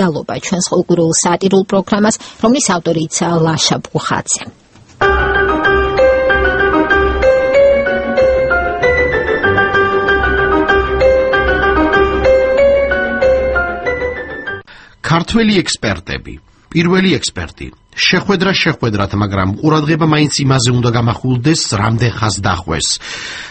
დედალობა ჩვენს ყოველდღიურ სატირულ პროგრამას, რომლის ავტორიც ლაშა ბუხაძე. ქართველი ექსპერტები, პირველი ექსპერტი. შეხვედრათ, მაგრამ ყურადღება მაინც იმაზე უნდა გამახვილდეს, რამდენ ხანს დახვეს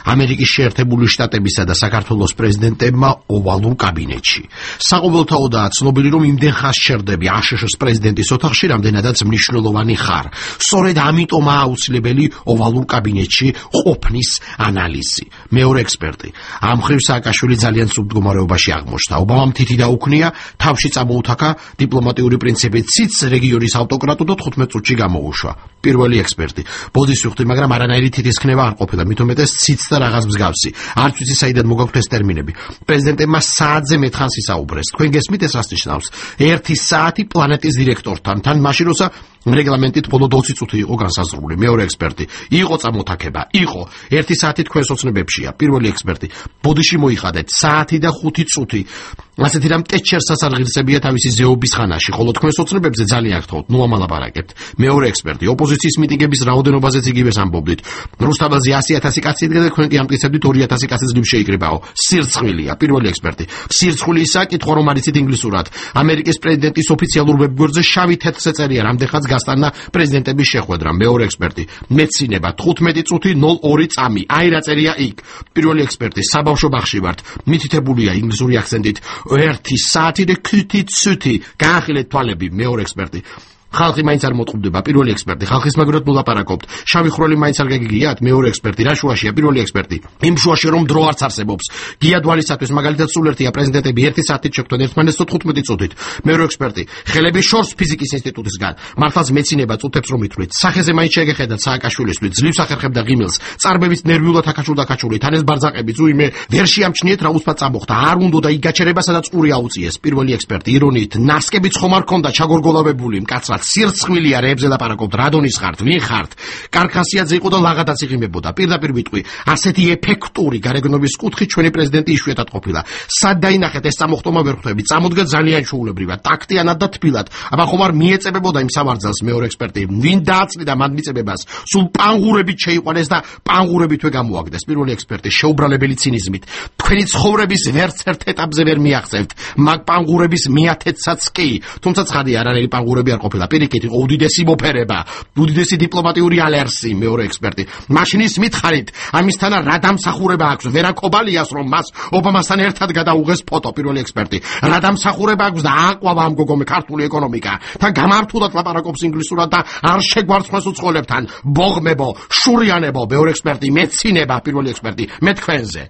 ამერიკის შეერთებული შტატებისა და საქართველოს პრეზიდენტებმა ოვალურ კაბინეტში. საყოველთაოდაა ცნობილი, რომ იმდენ ხანს შერდები აშშ-ის პრეზიდენტის ოთახში, რამდენადაც მნიშვნელოვანი ხარ. სწორედ ამიტომაა აუცილებელი ოვალურ კაბინეტში ყოფნის ანალიზი. მეორე ექსპერტი. ამ მხრივ სააკაშვილი ძალიან სრულ მდგომარეობაში აღმოჩნდა. ობამამ თითი დაუქნია, თავში წამოუთაქა დიპლომატიური პრინციპით ციც რეგიონის ავტოკრატო 15 წუთში გამოუშვა. პირველი ექსპერტი. ბოდის ვიხდი, მაგრამ არანაირი თითისქნება არ ყოფილა, მით უმეტეს ციც და რაღაც მსგავსი. არც ვიცი საიდან მოგაქვთ ეს ტერმინები. პრეზიდენტებმა საათზე მეტხანს ისაუბრეს. თქვენ გესმით ეს რას ნიშნავს? 1 საათი პლანეტის დირექტორთან, თან მაშინ როცა რეგლამენტით ბოლო 20 წუთი იყო განსაზღვრული. მეორე ექსპერტი. იყო წამოთაქება, იყო. 1 საათი თქვენს ოცნებებშია. პირველი ექსპერტი. ბოდიში მოიხადეთ საათი და 5 წუთი. ასეთი რამ ტეჩერსაც არ ღირსებია თავისი ზეობის ხანაში, ხოლო თქვენს ოცნებებზე ძალიან გთხოვთ, ნუ ამალაპარაკებთ. მეორე ექსპერტი. ოპოზიციის მიტინგების რაოდენობაზეც იგივეს ამბობდით. რუსთავაზე 100,000 კაცი იდგა და თქვენ კი ამტკიცებდით 2,000 კაცი ძლივ შეიკრიბაო. სირცხვილია. პირველი ექსპერტი. სირცხვილი ისა კითხვა რომ არიცით ინგლისურად. ამერიკის პრეზიდენტის ოფიციალურ ვებგვერდზე შავი თეთრზე წერია, რამდენხანს გასტანდა პრეზიდენტების შეხვედრა. მეორე ექსპერტი. მეცინება 15 წუთი 02 წამი. აი რა წერია იქ. პირველი ექსპერტი. საბავშვო ბაღში ვართ. მითითებულია ინგლისური აქცენტით 1 საათი და 5 წუთი. გაახილეთ თვალები. მეორე ექსპერტი. ხალხი მაინც არ მოწყობდება. პირველი ექსპერტი. ხალხის მაგრად მოლაპარაკობთ. შავი ხროლი მაინც არ გაგიგიათ. მეორე ექსპერტი. რა შუაშია? პირველი ექსპერტი. იმ შუაში რომ დრო არც არსებობს. გია დვალისათვის მაგალითად სულ ერთია პრეზიდენტები 1 საათით შეხვდნენ ერთმანეთს 15 წუთით. მეორე ექსპერტი. ხელები შორს ფიზიკის ინსტიტუტისგან. მართლაც მეცინება წუთებს რომ ითვლით. სახეზე მაინც შეგეხედათ სააკაშვილისთვის. ძლივს ახერხებდა ღიმილს. წარბებით ნერვიულად აკაჩული. თან ეს ბარძაყები ზუიმე ვერ შეამჩნიეთ რა უსფად წამოხდა. არ უნდა და იგაჩერება სადაც ყური აუწიეს. პირველი ექსპერტი. ირონიით ნასკებიც ხომ არ ქონდა ჩაგორგოლავებული მკაცრად. სირცხვილია რეებზე ლაპარაკობთ, რადონის ხართ, ვინ ხართ? კარქასიაძე იყო და ლაღადაც იღიმებოდა. პირდაპირ ვიტყვი, ასეთი ეფექტური გარეგნობის კუთხით ჩვენი პრეზიდენტი იშვიათად ყოფილა. სად დაინახეთ ეს წამოხტომა ვერ ხვდები. წამოდგა ძალიან ჩაულებრივად, ტაქტიანად და თბილად. აბა ხომ არ მიეწებებოდა იმ სამარძალს. მეორე ექსპერტი. ვინ დააწნიდა მან მიწებებას? სულ პანგურებით შეიყვანეს და პანგურებითვე გამოაგდეს. პირველი ექსპერტი. შეუბრალებელი ცინიზმით. თქვენი ცხოვრების ვერც ერთ ეტაპზე ვერ მიაღწევთ. მაგ პანგურების მიათეთსაც კი. თუმცა ცხადია, არანაირი პანგურები არ ყოფილა. პირიქით იყო უდიდესი მოფერება, უდიდესი დიპლომატიური ალერსი. მეორე ექსპერტი. მაშინ ის მითხარით, ამისთანა რა დამსახურება აქვს? ვერაკობალიას რომ მას ობამასთან ერთად გადაუღეს ფოტო. პირველი ექსპერტი. რა დამსახურება აქვს და ააყვავა ამ გოგომი ქართული ეკონომიკა. თან გამართულად ლაპარაკობს ინგლისურად და არ შეგვარცხოს უცხოელებთან. ბოღმებო, შურიანებო. მეორე ექსპერტი. მეცინება. პირველი ექსპერტი. მე თქვენზე.